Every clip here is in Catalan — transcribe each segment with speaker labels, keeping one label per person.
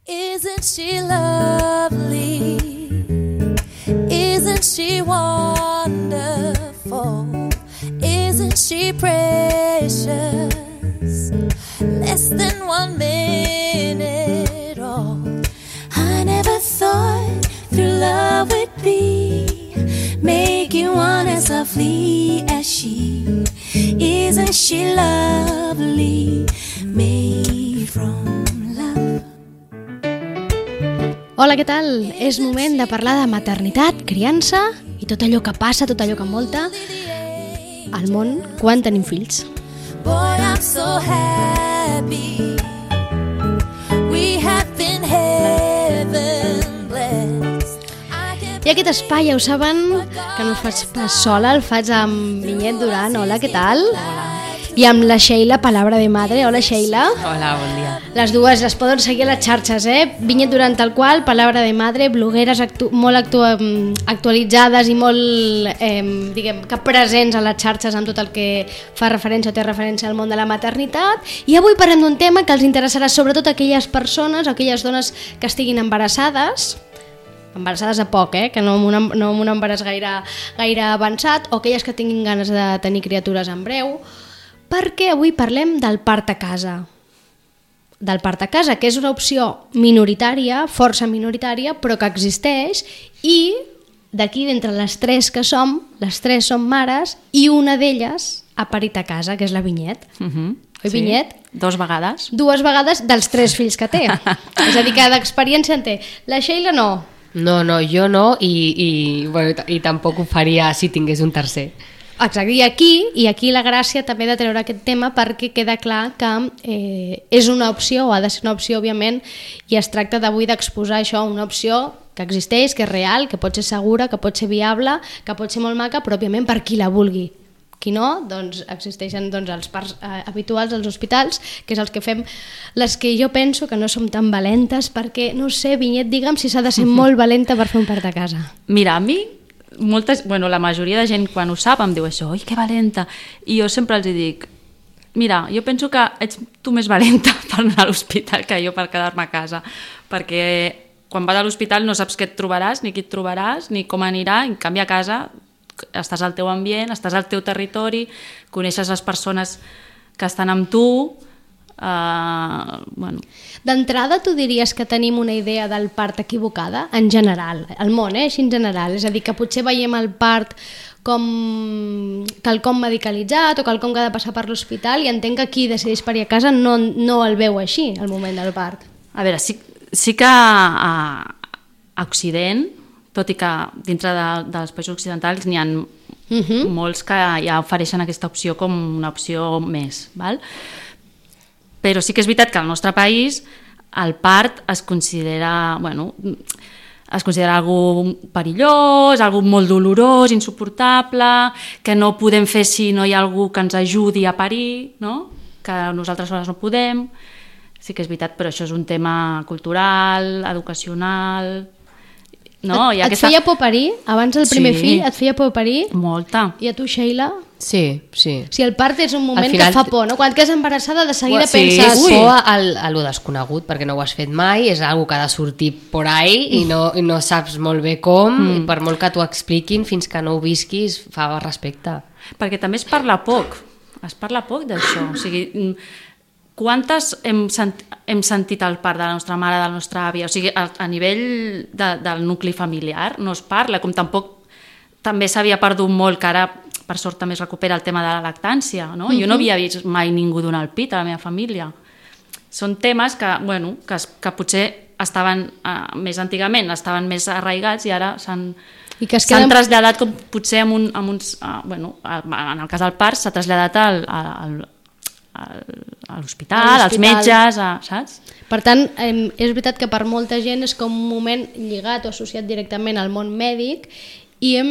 Speaker 1: Isn't she lovely? Isn't she wonderful? Isn't she precious? Less than 1 minute old. I never thought through love would be make you want as lovely as she. Isn't she lovely? Made from love.
Speaker 2: Hola, què tal? És moment de parlar de maternitat, criança i tot allò que passa, tot allò que envolta al món quan tenim fills.
Speaker 1: Boy, I'm so happy. We have been heaven blessed.
Speaker 2: I aquest espai, ja ho saben, que no el faig pas sola, el faig amb Vinyet Duran. Hola, què tal?
Speaker 3: Hola.
Speaker 2: I amb la Sheila, Palabra de Madre. Hola, Sheila.
Speaker 3: Hola, bon dia.
Speaker 2: Les dues les poden seguir a les xarxes, Vinyet Duran tal qual, Palabra de Madre, blogueres molt actualitzades i molt, diguem, que presents a les xarxes amb tot el que fa referència o té referència al món de la maternitat. I avui parlem d'un tema que els interessarà sobretot a aquelles persones, a aquelles dones que estiguin embarassades a poc, que no amb un embaràs gaire avançat, o aquelles que tinguin ganes de tenir criatures en breu, perquè avui parlem del part a casa. Del part a casa, que és una opció minoritària, força minoritària, però que existeix, i d'aquí, d'entre les tres que som, les tres som mares, i una d'elles ha parit a casa, que és la Vinyet. Oi,
Speaker 3: Sí.
Speaker 2: Vinyet?
Speaker 3: 2 vegades.
Speaker 2: 2 vegades dels 3 fills que té. És a dir, que d'experiència en té. La Sheila no.
Speaker 4: No, jo no, i tampoc ho faria si tingués un tercer.
Speaker 2: Exacte, i aquí la gràcia també de treure aquest tema, perquè queda clar que és una opció, o ha de ser una opció, òbviament, i es tracta d'avui d'exposar això, una opció que existeix, que és real, que pot ser segura, que pot ser viable, que pot ser molt maca, però òbviament per qui la vulgui. Qui no, doncs existeixen els parts habituals als hospitals, que és els que fem, les que jo penso que no som tan valentes, perquè, no sé, Vinyet, digue'm si s'ha de ser molt valenta per fer un part a casa.
Speaker 3: Mira, a mi, la majoria de gent quan ho sap em diu això, oi, que valenta. I jo sempre els dic, mira, jo penso que ets tu més valenta per anar a l'hospital que jo per quedar-me a casa, perquè quan vas a l'hospital no saps què et trobaràs, ni qui et trobaràs, ni com anirà, en canvi a casa estàs al teu ambient, estàs al teu territori, coneixes les persones que estan amb tu.
Speaker 2: D'entrada, tu diries que tenim una idea del part equivocada, en general, al món, així en general, és a dir, que potser veiem el part com quelcom medicalitzat o quelcom que ha de passar per l'hospital, i entenc que qui decideix parir a casa no el veu així, el moment del part.
Speaker 3: A veure, sí que a Occident, tot i que dintre dels països occidentals n'hi ha molts que ja ofereixen aquesta opció com una opció més, val? Però sí que és veritat que al nostre país el part es considera algo perillós, algo molt dolorós, insuportable, que no podem fer si no hi ha algú que ens ajudi a parir, no? Que nosaltres soles no podem. Sí que és veritat, però això és un tema cultural, educacional. No,
Speaker 2: et feia por parir? Abans del primer fill et feia por parir?
Speaker 3: Molta.
Speaker 2: I a tu, Sheila?
Speaker 4: Sí.
Speaker 2: Si el part és un moment que fa por, no? Quan quedes embarassada de seguida penses...
Speaker 4: És por a lo desconegut, perquè no ho has fet mai, és algo que ha de sortir por ahí i no saps molt bé com, i per molt que t'ho expliquin, fins que no ho visquis, fa respecte.
Speaker 3: Perquè també es parla poc d'això, o sigui... Quantes hem sentit el part de la nostra mare, de la nostra àvia? O sigui, a nivell del nucli familiar no es parla, com tampoc també s'havia perdut molt, que ara per sort també es recupera el tema de la lactància, no? Jo no havia vist mai ningú donar el pit a la meva família. Són temes que potser estaven més antigament, estaven més arraigats i ara s'han traslladat com potser en el cas del part s'ha traslladat a l'hospital, als metges, saps?
Speaker 2: Per tant, és veritat que per molta gent és com un moment lligat o associat directament al món mèdic i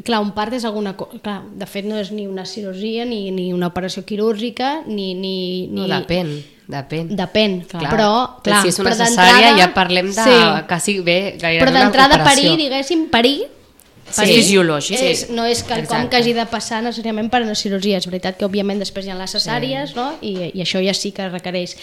Speaker 2: clar, un part és alguna cosa, de fet no és ni una cirurgia ni una operació quirúrgica
Speaker 4: No, depèn.
Speaker 2: Però
Speaker 4: si és una cesària ja parlem de quasi bé gairebé
Speaker 2: però
Speaker 4: una
Speaker 2: d'entrada
Speaker 4: operació.
Speaker 2: parir
Speaker 3: fisiològic.
Speaker 2: No és quelcom que hagi de passar necessàriament per una cirurgia. És veritat que, òbviament, després hi ha les cesàries, no? I això ja sí que requereix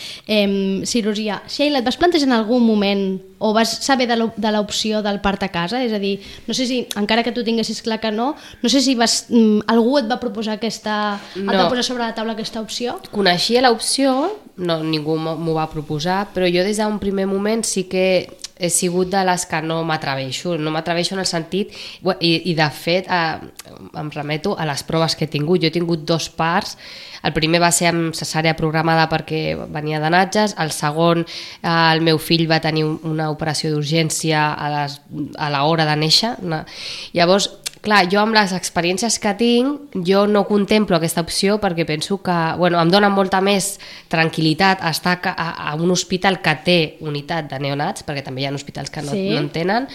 Speaker 2: cirurgia. Sheila, et vas plantejar en algun moment o vas saber de l'opció del part a casa? És a dir, no sé si, encara que tu tinguessis clar que no sé si algú et va proposar et va posar sobre la taula aquesta opció?
Speaker 4: Coneixia l'opció, no, ningú m'ho va proposar, però jo des d'un primer moment sí que he sigut de les que no m'atreveixo en el sentit, i de fet em remeto a les proves que he tingut. Jo he tingut 2 parts. El primer va ser amb cesària programada perquè venia de Natges, el segon el meu fill va tenir una operació d'urgència a l'hora de néixer. Llavors, clar, jo amb les experiències que tinc, jo no contemplo aquesta opció perquè penso que em dona molta més tranquil·litat estar a un hospital que té unitat de neonats, perquè també hi ha hospitals que no en tenen,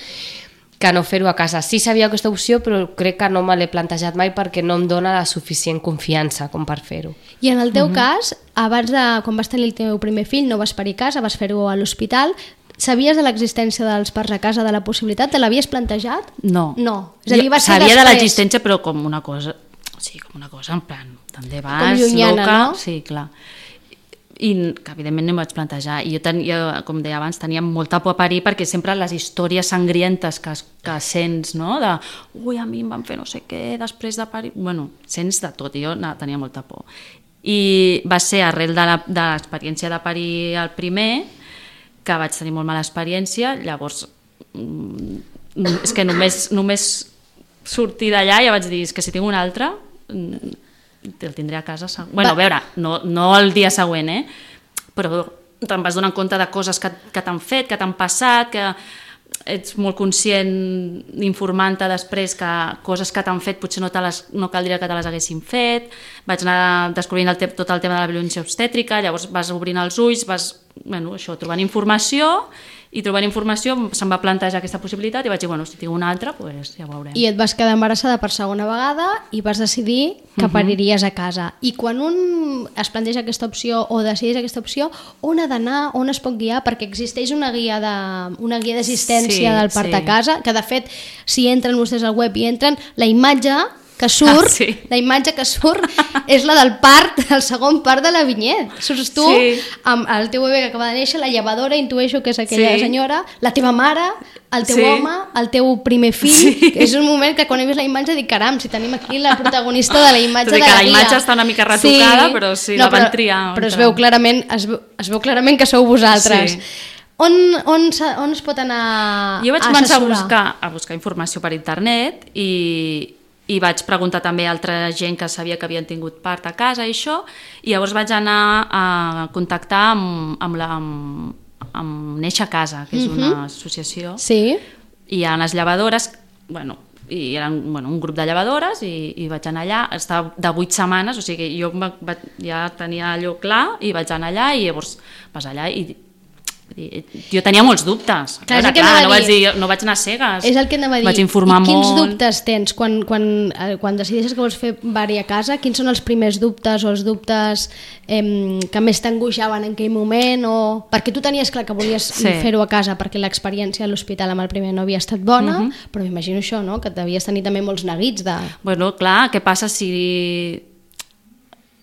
Speaker 4: que no fer-ho a casa. Sí sabia aquesta opció, però crec que no me l'he plantejat mai perquè no em dona la suficient confiança com per fer-ho.
Speaker 2: I en el teu cas, quan vas tenir el teu primer fill, no vas parir a casa, vas fer-ho a l'hospital. Sabies de l'existència dels parts a casa, de la possibilitat? Te l'havies plantejat?
Speaker 3: No.
Speaker 2: És a dir, va ser
Speaker 3: sabia de l'existència, però com una cosa en plan, també vas,
Speaker 2: com llunyana,
Speaker 3: loca,
Speaker 2: no?
Speaker 3: Sí, clar. I que evidentment no em vaig plantejar. I jo, com deia abans, tenia molta por a parir perquè sempre les històries sangrientes que sents, no? De, a mi em van fer no sé què després de parir... Sents de tot, i jo tenia molta por. I va ser arrel de l'experiència de parir el primer, que vaig tenir molt mala experiència, llavors és que només sortir d'allà ja vaig dir, és que si tinc un altre el tindré a casa. A veure, no el dia següent, però te'n vas donant compte de coses que t'han fet, que t'han passat, que ets molt conscient informant-te després que coses que t'han fet potser no caldria que te les haguessin fet. Vaig anar descobrint tot el tema de la violència obstètrica, llavors vas obrint els ulls, vas trobant informació, i trobant informació se'm va plantejar aquesta possibilitat i vaig dir, si tinc una altra, ja ho veurem.
Speaker 2: I et vas quedar embarassada per segona vegada i vas decidir que pariries a casa. I quan un es planteja aquesta opció o decideix aquesta opció, on ha d'anar, on es pot guiar? Perquè existeix una guia d'assistència del part a casa, que de fet, si entren vostès al web i entren, la imatge que surt, la imatge que surt és la del part, el segon part de la vinyet. Surts tu amb el teu bebè que acaba de néixer, la llevadora, intueixo que és aquella senyora, la teva mare, el teu home, el teu primer fill. És un moment que quan he vist la imatge dic, caram, si tenim aquí la protagonista de la imatge de la guia.
Speaker 3: La imatge està una mica retocada, però sí, la van triar.
Speaker 2: Però es veu clarament que sou vosaltres. On es pot anar a assessorar?
Speaker 3: Jo vaig començar a buscar informació per internet i vaig preguntar també a altra gent que sabia que havien tingut part a casa i això, i llavors vaig anar a contactar amb Néixer a Casa, que és una associació, i hi ha unes llevadores, i eren un grup de llevadores, i vaig anar allà, estava de 8 setmanes, o sigui, jo ja tenia allò clar i vaig anar allà, i llavors vas allà i jo tenia molts dubtes. No vaig anar cegues.
Speaker 2: És el que anava a dir.
Speaker 3: Vaig informar molt.
Speaker 2: Quins dubtes tens quan decideixes que vols fer pari a casa? Quins són els primers dubtes o els dubtes que més t'angoixaven en aquell moment? Perquè tu tenies clar que volies fer-ho a casa perquè l'experiència a l'hospital amb el primer no havia estat bona, però m'imagino això, no? Que devies tenir també molts neguits de...
Speaker 3: Clar, què passa si...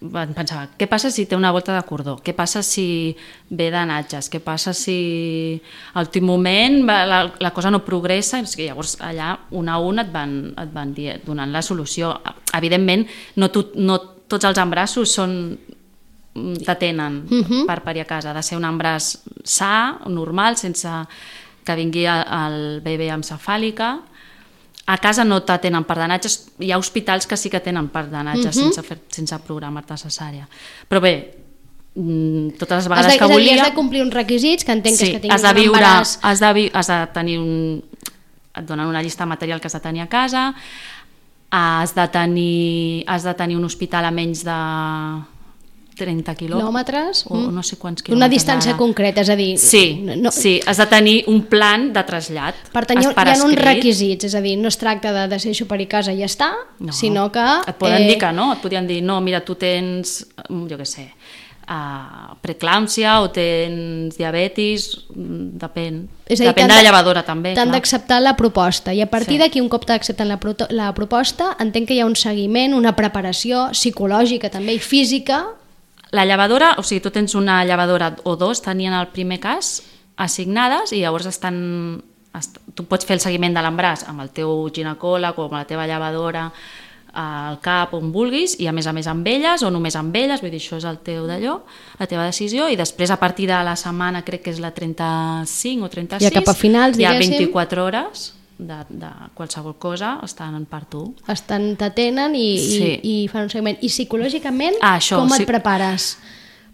Speaker 3: Pensava, què passa si té una volta de cordó? Què passa si ve de Natges? Què passa si a l'últim moment la cosa no progressa? Llavors allà un a un et van donant la solució. Evidentment no tots els embrassos t'atenen per parir a casa. Ha de ser un embràs sa, normal, sense que vingui el bebè amb cefàlica. A casa no t'atenen part de Natges, hi ha hospitals que sí que tenen part de Natges sense programar-te cesària. Però bé, totes les vegades que volia...
Speaker 2: Has de complir uns requisits, que entenc que és que tinguis
Speaker 3: un embaràs... Has de tenir et donen una llista de material que has de tenir a casa, has de tenir un hospital a menys de 30 quilòmetres o no sé quants quilòmetres.
Speaker 2: Una distància concreta, és a dir...
Speaker 3: Sí, has de tenir un plan de trasllat.
Speaker 2: Per tant, hi ha uns requisits, és a dir, no es tracta de decidir per a casa i ja està, sinó que...
Speaker 3: Et poden dir que no, et podien dir, no, mira, tu tens, jo què sé, preeclàmpsia o tens diabetis, depèn.
Speaker 2: És a dir,
Speaker 3: Depèn de la llevadora també.
Speaker 2: T'han d'acceptar la proposta i a partir
Speaker 3: Sí.
Speaker 2: d'aquí, un cop t'accepten la proposta, entenc que hi ha un seguiment, una preparació psicològica també i física.
Speaker 3: La llevadora, o sigui, tu tens una llevadora o dos, tenien el primer cas, assignades, i llavors tu pots fer el seguiment de l'embràs amb el teu ginecòleg o amb la teva llevadora al CAP on vulguis, i a més amb elles o només amb elles, vull dir, això és el teu d'allò, la teva decisió, i després a partir de la setmana, crec que és la 35 o 36,
Speaker 2: Ja cap a finals,
Speaker 3: hi ha
Speaker 2: diguéssim.
Speaker 3: 24 hores de qualsevol cosa, estan per tu.
Speaker 2: T'atenen
Speaker 3: Sí.
Speaker 2: i fan un seguiment. I psicològicament,
Speaker 3: Això,
Speaker 2: com
Speaker 3: sí.
Speaker 2: et prepares?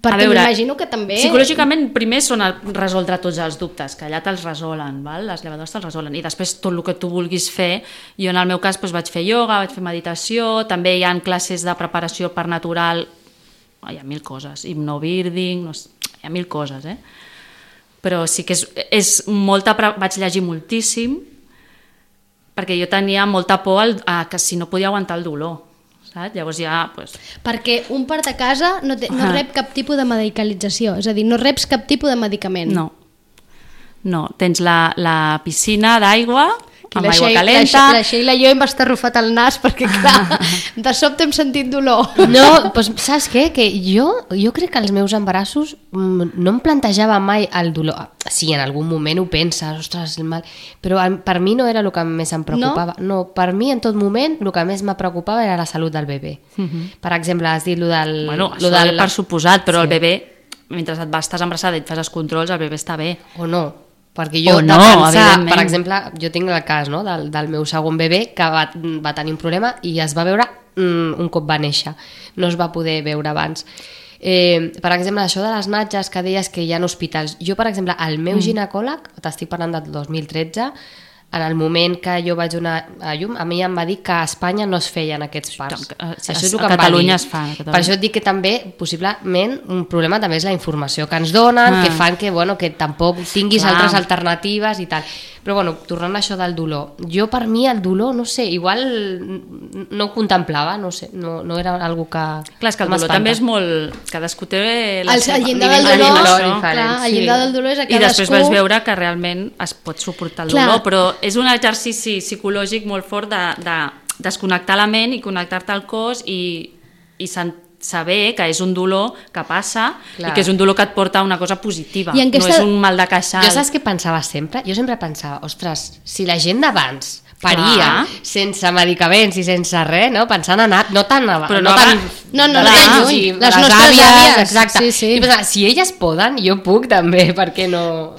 Speaker 2: Perquè
Speaker 3: A veure,
Speaker 2: m'imagino que també...
Speaker 3: Psicològicament, primer són resoldre tots els dubtes, que allà te'ls resolen, val? Les llevadores te'ls resolen, i després tot el que tu vulguis fer. Jo en el meu cas vaig fer ioga, vaig fer meditació, també hi ha classes de preparació per natural, hi ha 1000 coses, hipnobirding, no sé, hi ha 1000 coses, però sí que és molta... Vaig llegir moltíssim, perquè jo tenia molta por a que si no podia aguantar el dolor. Saps? Llavors ja...
Speaker 2: Perquè un part a casa no rep cap tipus de medicalització, és a dir, no reps cap tipus de medicament.
Speaker 3: No, tens la piscina d'aigua, amb
Speaker 2: La
Speaker 3: aigua
Speaker 2: Sheila-
Speaker 3: calenta...
Speaker 2: La Sheila i jo hem estarrufat el nas perquè, clar, de sobte hem sentit dolor.
Speaker 4: No, doncs saps què? Que jo crec que als meus embarassos no em plantejava mai el dolor. Sí, en algun moment ho penses, ostres, el mal... però per mi no era el que més em preocupava. No, per mi en tot moment el que més me preocupava era la salut del bebè. Per exemple, has dit lo del...
Speaker 3: Bueno, això per suposat, però el bebè, mentre estàs embarassada i et fas els controls, el bebè està bé.
Speaker 4: O no, perquè jo
Speaker 3: no, evidentment.
Speaker 4: per exemple, jo tinc el cas, no, del meu segon bebè que va tenir un problema i es va veure un cop va néixer, no es va poder veure abans. Per exemple, això de les natges que deies que hi ha hospitals, jo per exemple, el meu ginecòleg, t'estic parlant del 2013, en el moment que jo vaig donar a llum, a mi em va dir que a Espanya no es feien aquests parts. Això és el que
Speaker 3: a
Speaker 4: em va
Speaker 3: Catalunya
Speaker 4: dir.
Speaker 3: es fan.
Speaker 4: Per això et dic que també, possiblement, un problema també és la informació que ens donen, que fan que tampoc tinguis altres alternatives i tal. Però bueno, tornant a això del dolor, jo per mi el dolor, no sé, igual no ho contemplava, no sé, no era algo que...
Speaker 3: Clar, és que el dolor també és molt... Cadascú té la
Speaker 2: El llindar
Speaker 3: nivell
Speaker 2: del
Speaker 3: de
Speaker 2: dolor,
Speaker 3: dolor,
Speaker 2: clar, el llindar del dolor és a
Speaker 3: I després
Speaker 2: cadascú...
Speaker 3: vas veure que realment es pot suportar el dolor, però és un exercici psicològic molt fort de desconnectar la ment i connectar-te al cos i saber que és un dolor que passa i que és un dolor que et porta a una cosa positiva, no és un mal de queixal.
Speaker 4: Jo saps què pensava sempre? Jo sempre pensava, ostres, si la gent d'abans paria sense medicaments i sense res, no? Pensant en no tan
Speaker 2: No,
Speaker 4: tan lluny.
Speaker 2: Les nostres àvies.
Speaker 4: Exacte.
Speaker 2: Sí.
Speaker 4: I pensava, si elles poden, jo puc també, per què no?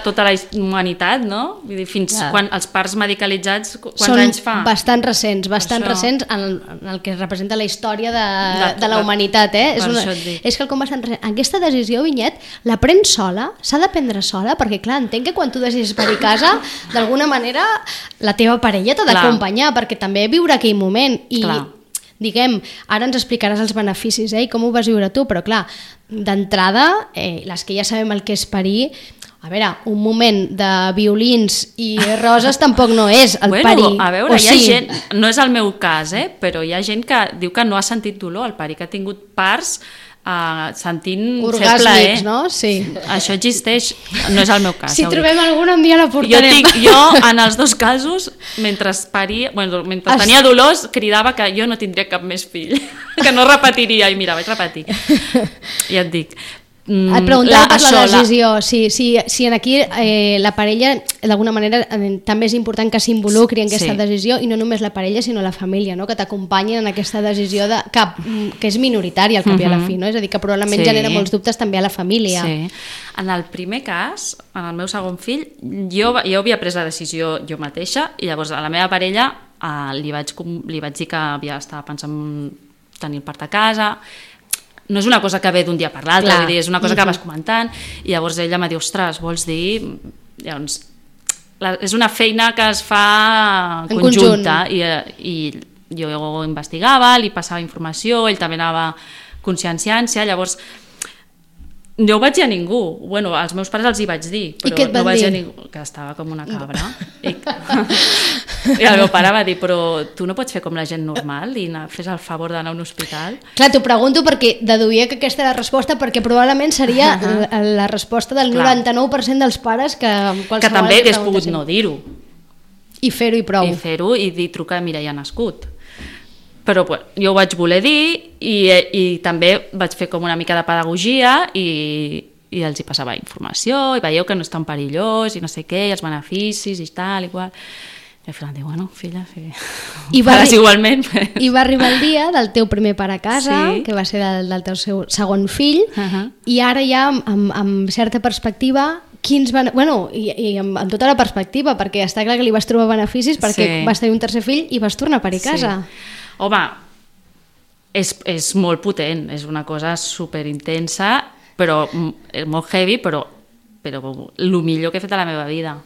Speaker 3: Tota la humanitat, no? Vull dir, fins quan els parts medicalitzats, quants anys fa?
Speaker 2: Són bastant recents en el que representa la història de la humanitat, és quelcom bastant recent. Aquesta decisió, Vinyet, la prens sola? S'ha de prendre sola? Perquè, clar, entenc que quan tu decidis parir a casa, d'alguna manera la teva parella t'ha d'acompanyar, perquè també viure aquell moment i diguem, ara ens explicaràs els beneficis i com ho vas viure tu, però clar, d'entrada, les que ja sabem el que és parir, a veure, un moment de violins i roses tampoc no és el parir.
Speaker 3: A veure, hi ha gent, no és el meu cas, però hi ha gent que diu que no ha sentit dolor al parir, que ha tingut parts sentint
Speaker 2: orgàsmics, no? Sí.
Speaker 3: Això existeix, no és el meu cas.
Speaker 2: Si trobem alguna un dia la portarem.
Speaker 3: Jo en els dos casos, mentre tenia dolors, cridava que jo no tindria cap més fill, que no repetiria, i mira, vaig repetir. Ja et dic.
Speaker 2: Et preguntava per la decisió, si aquí la parella d'alguna manera també és important que s'involucri en aquesta decisió, i no només la parella sinó la família, no? Que t'acompanyin en aquesta decisió que és minoritària al cap i a la fi, no? És a dir, que probablement genera molts dubtes també a la família.
Speaker 3: En el primer cas, en el meu segon fill, jo havia pres la decisió jo mateixa, i llavors a la meva parella li vaig dir que estava pensant tenir el part a casa. No és una cosa que ve d'un dia per l'altre, és una cosa que vas comentant, i llavors ella em diu, ostres, vols dir... Llavors, és una feina que es fa conjunta, i jo investigava, li passava informació, ell també anava conscienciant-se, llavors Jo ho vaig dir a ningú. Bueno, als meus pares els hi vaig dir, però
Speaker 2: què et van
Speaker 3: no vaig dir a
Speaker 2: dir?
Speaker 3: ningú. Que estava com una cabra. I el meu pare va dir, però tu no pots fer com la gent normal i fes el favor d'anar a un hospital?
Speaker 2: Clar, t'ho pregunto perquè deduïa que aquesta era la resposta, perquè probablement seria la resposta del
Speaker 3: Clar.
Speaker 2: 99% dels pares que
Speaker 3: Que també hagués pogut no dir-ho.
Speaker 2: I fer-ho i prou.
Speaker 3: I fer-ho i dir, truca, mira, ja ha nascut. Però bueno, jo ho vaig voler dir i també vaig fer com una mica de pedagogia i els hi passava informació i veieu que no és tan perillós i no sé què, i els beneficis i tal, igual. I al final diu, bueno, filla, sí. Pares igualment.
Speaker 2: I va arribar el dia del teu primer pare a casa,
Speaker 3: Sí.
Speaker 2: que va ser del teu segon fill, i ara ja amb certa perspectiva, quins van... Bueno, i amb tota la perspectiva, perquè està clar que li vas trobar beneficis perquè
Speaker 3: Sí.
Speaker 2: vas tenir un tercer fill i vas tornar a parir a casa.
Speaker 3: Sí. Home, és molt potent, és una cosa superintensa, però molt heavy, però el millor que he fet a la meva vida.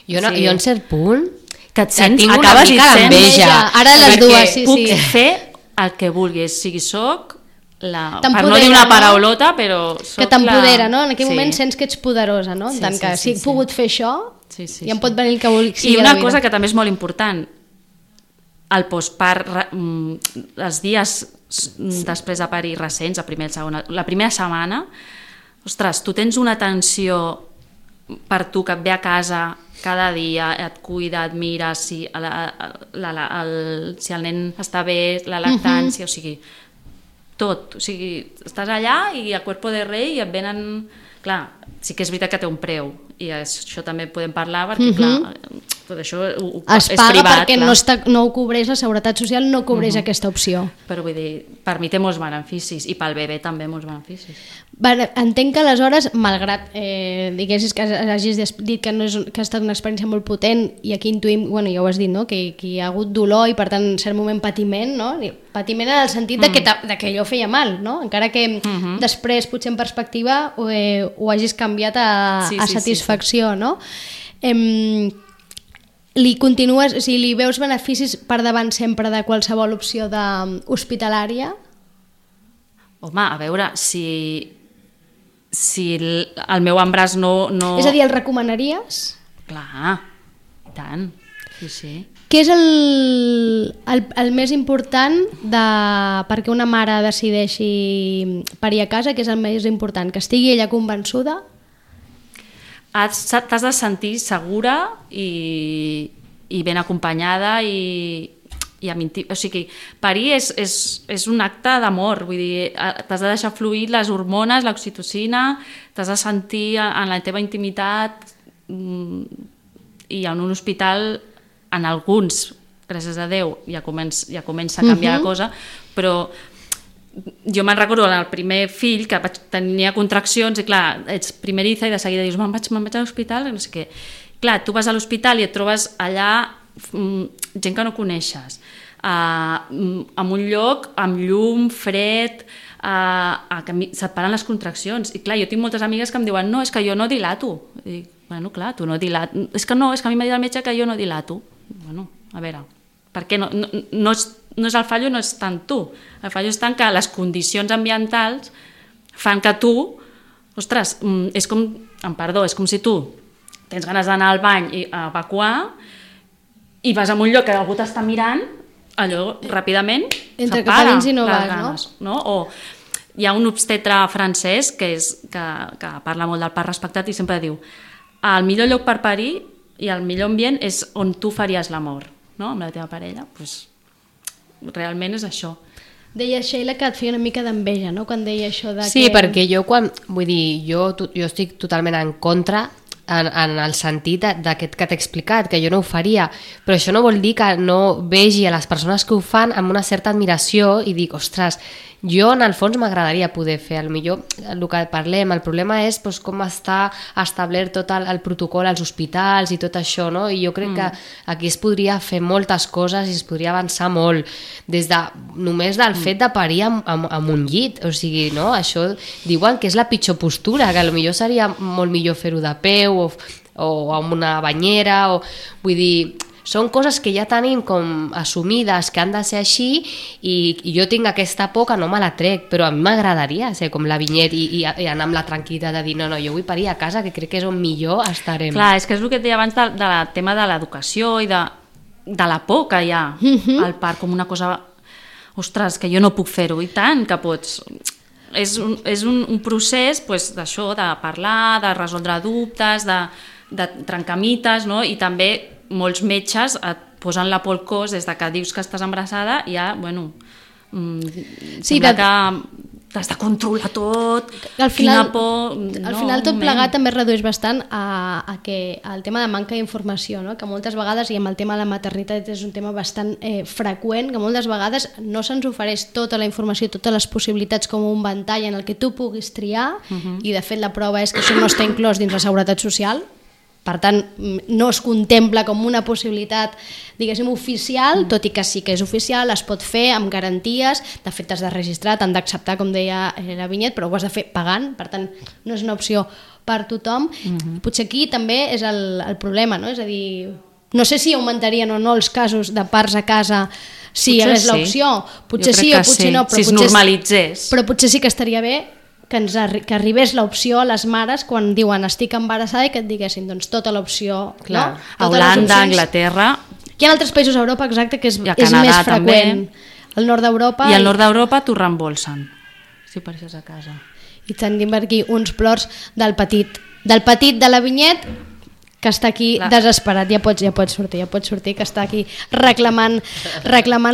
Speaker 4: Jo en cert punt
Speaker 3: que et sents,
Speaker 4: tinc una
Speaker 3: acabes
Speaker 4: mica
Speaker 3: i sents
Speaker 4: d'enveja.
Speaker 2: Ara les
Speaker 3: perquè
Speaker 2: dues, sí,
Speaker 3: puc
Speaker 2: sí.
Speaker 3: fer el que vulgui, sigui soc per
Speaker 2: T'empodera,
Speaker 3: no dir una
Speaker 2: no?
Speaker 3: paraulota, però soc
Speaker 2: Que t'empodera, no? En aquell
Speaker 3: Sí.
Speaker 2: moment sents que ets poderosa, no? En tant que si he pogut fer això,
Speaker 3: Sí, sí,
Speaker 2: ja em
Speaker 3: sí.
Speaker 2: pot venir el que vulgui.
Speaker 3: I una cosa que també és molt important, el postpart, els dies després de parir recents, la primera setmana, ostres, tu tens una atenció per tu que et ve a casa cada dia, et cuida, et mira si el nen està bé, la lactància, o sigui, tot, o sigui, estàs allà i a cuerpo de rei i et venen... Clar, sí que és veritat que té un preu i això també podem parlar perquè, clar, tot això
Speaker 2: es
Speaker 3: és
Speaker 2: paga
Speaker 3: privat,
Speaker 2: perquè
Speaker 3: clar.
Speaker 2: no ho cobreix, la Seguretat Social no cobreix aquesta opció.
Speaker 3: Però vull dir, per mi té molts beneficis i pel bebè també molts beneficis.
Speaker 2: Entenc que aleshores, malgrat diguessis que hagis dit que, que ha estat una experiència molt potent i aquí intuïm, bueno, ja ho has dit, no? que hi ha hagut dolor i per tant en cert moment patiment, no? Patiment en el sentit de que allò feia mal, no? Encara que després potser en perspectiva ho hagis canviat a satisfacció, no? Li continues, si li veus beneficis per davant sempre de qualsevol opció hospitalària?
Speaker 3: Home, a veure, si el meu embràs no...
Speaker 2: És a dir, el recomanaries?
Speaker 3: Clar, i tant, sí, sí.
Speaker 2: Què és el més important perquè una mare decideixi parir a casa? Què és el més important? Que estigui ella convençuda?
Speaker 3: T'has de sentir segura i ben acompanyada o sigui, parir és un acte d'amor, vull dir, t'has de deixar fluir les hormones, l'oxitocina, t'has de sentir en la teva intimitat i en un hospital, en alguns, gràcies a Déu, ja comença a canviar la cosa, però jo me'n recordo en el primer fill que tenia contraccions i clar, ets primeriza i de seguida dius me'n vaig a l'hospital i no sé què. Clar, tu vas a l'hospital i et trobes allà gent que no coneixes, en un lloc amb llum, fred, se't paren les contraccions. I clar, jo tinc moltes amigues que em diuen no, és que jo no dilato. I dic, bueno, clar, tu no dilato. És que a mi m'ha dit el metge que jo no dilato. Bueno, a veure, per què no és el fallo, no és tant tu. El fallo és tant que les condicions ambientals fan que tu, ostres, és com si tu tens ganes d'anar al bany i a evacuar i vas a un lloc que algú t'està mirant, allò ràpidament s'apaga les ganes, no? O hi ha un obstetre francès que parla molt del part respectat i sempre diu el millor lloc per parir i el millor ambient és on tu faries l'amor, no? Amb la teva parella, doncs realment és això.
Speaker 2: Deia Sheila que et feia una mica d'enveja, no?, quan deia això de
Speaker 4: Sí, perquè jo estic totalment en contra en el sentit d'aquest que t'he explicat, que jo no ho faria, però això no vol dir que no vegi a les persones que ho fan amb una certa admiració i dic, ostres, jo en el fons m'agradaria poder fer, millor el que parlem, el problema és com està establert tot el protocol als hospitals i tot això, no? I jo crec que aquí es podria fer moltes coses i es podria avançar molt, només del fet de parir amb un llit, o sigui, no? Això diuen que és la pitjor postura, que potser seria molt millor fer-ho de peu o amb una banyera, vull dir, són coses que ja tenim com assumides, que han de ser així, i jo tinc aquesta por que no me la trec, però a mi m'agradaria ser com la Vinyet i anar amb la tranquil·litat de dir no, jo vull parir a casa, que crec que és on millor estarem.
Speaker 3: Clar, és que és el que et deia abans del tema de l'educació i de la por que hi ha al parc, com una cosa, ostres, que jo no puc fer-ho, i tant que pots. És un procés d'això, de parlar, de resoldre dubtes, de trencar mites, no? I també molts metges et posen la por al cos des que dius que estàs embarassada i ja, sembla que t'has de controlar tot,
Speaker 2: al final,
Speaker 3: quina por...
Speaker 2: Al final tot plegat també es redueix bastant al tema de manca d'informació, no? Que moltes vegades, i amb el tema de la maternitat és un tema bastant freqüent, que moltes vegades no se'ns ofereix tota la informació, totes les possibilitats com un ventall en el que tu puguis triar, i de fet la prova és que això no està inclòs dins la Seguretat Social. Per tant, no es contempla com una possibilitat, diguéssim, oficial, tot i que sí que és oficial, es pot fer amb garanties, de fet t'has de registrar, t'han d'acceptar, com deia la Vinyet, però ho has de fer pagant, per tant, no és una opció per tothom. Potser aquí també és el problema, no? És a dir, no sé si augmentarien o no els casos de parts a casa si hi hagués l'opció. Potser sí o potser no,
Speaker 3: si es normalitzés.
Speaker 2: Però potser sí que estaria bé que arribés l'opció a les mares quan diuen estic embarassada i que et diguessin doncs tota l'opció, no?
Speaker 3: A Holanda, a Anglaterra...
Speaker 2: Hi ha altres països a Europa, exacte, que és
Speaker 3: Canadà,
Speaker 2: més freqüent. Al nord d'Europa...
Speaker 3: I al nord d'Europa t'ho reembolsen, si apareixes a casa.
Speaker 2: I tenim aquí uns plors del petit de la Vinyet, que està aquí desesperat, ja pots sortir, que està aquí reclamant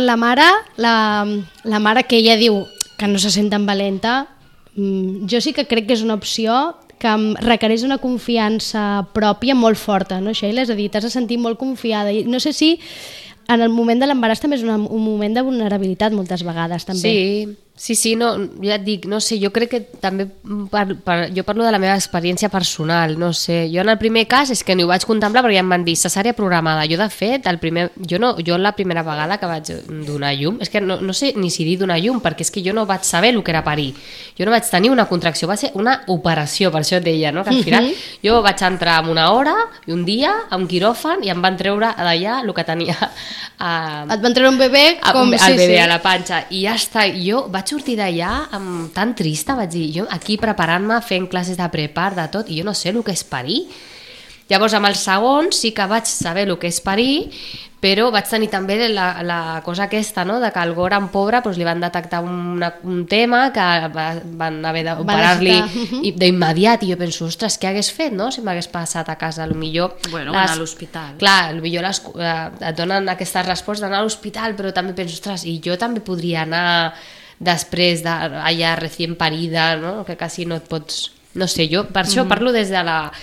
Speaker 2: la mare, la mare que ella diu que no se sent tan valenta. Jo sí que crec que és una opció que requereix una confiança pròpia molt forta, no, Sheila? És a dir, t'has de sentir molt confiada. I no sé si en el moment de l'embaràs també és un moment de vulnerabilitat moltes vegades, també.
Speaker 4: Sí, no, ja et dic, no sé, jo crec que també jo parlo de la meva experiència personal, no sé, jo en el primer cas és que ni ho vaig contemplar perquè ja em van dir cesària programada, jo de fet, jo la primera vegada que vaig donar llum, és que no sé ni si dir donar llum, perquè és que jo no vaig saber el que era parir, jo no vaig tenir una contracció, va ser una operació, per això et deia, no? Que al final jo vaig entrar en una hora i un dia a un quiròfan i em van treure d'allà el que tenia
Speaker 2: et van treure un bebè com
Speaker 4: el bebè a la panxa i ja està, jo vaig sortir d'allà tan trista, vaig dir, jo aquí preparant-me, fent classes de prepar, de tot, i jo no sé el que és parir. Llavors amb el segon sí que vaig saber el que és parir, però vaig tenir també la cosa aquesta, no? De que al Goran pobre li van detectar un tema que van haver d'operar-li d'immediat, i jo penso, ostres, què hagués fet, no? Si m'hagués passat a casa,
Speaker 3: Bueno, anar a l'hospital.
Speaker 4: Clar, potser et donen aquesta resposta d'anar a l'hospital, però també penso, ostres, i jo també podria anar després d'allà recient parida, no? Que quasi no et pots... No sé, jo per això parlo des de la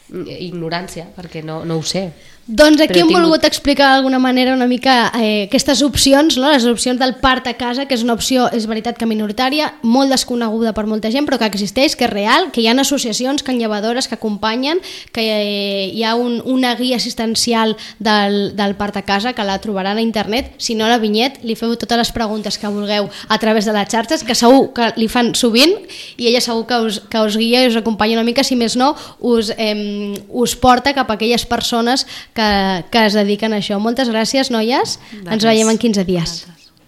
Speaker 4: ignorància, perquè no ho sé.
Speaker 2: Doncs aquí hem volgut explicar d'alguna manera una mica aquestes opcions, no? Les opcions del part a casa, que és una opció, és veritat que minoritària, molt desconeguda per molta gent, però que existeix, que és real, que hi ha associacions, canllevadores que acompanyen, que hi ha una guia assistencial del part a casa, que la trobaran a internet. Si no, a la Vinyet li feu totes les preguntes que vulgueu a través de les xarxes, que segur que li fan sovint, i ella segur que us guia i us acompanya una mica, si més no, us porta cap a aquelles persones que es dediquen a això. Moltes gràcies, noies. Ens veiem en 15 dies.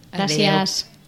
Speaker 2: Gràcies.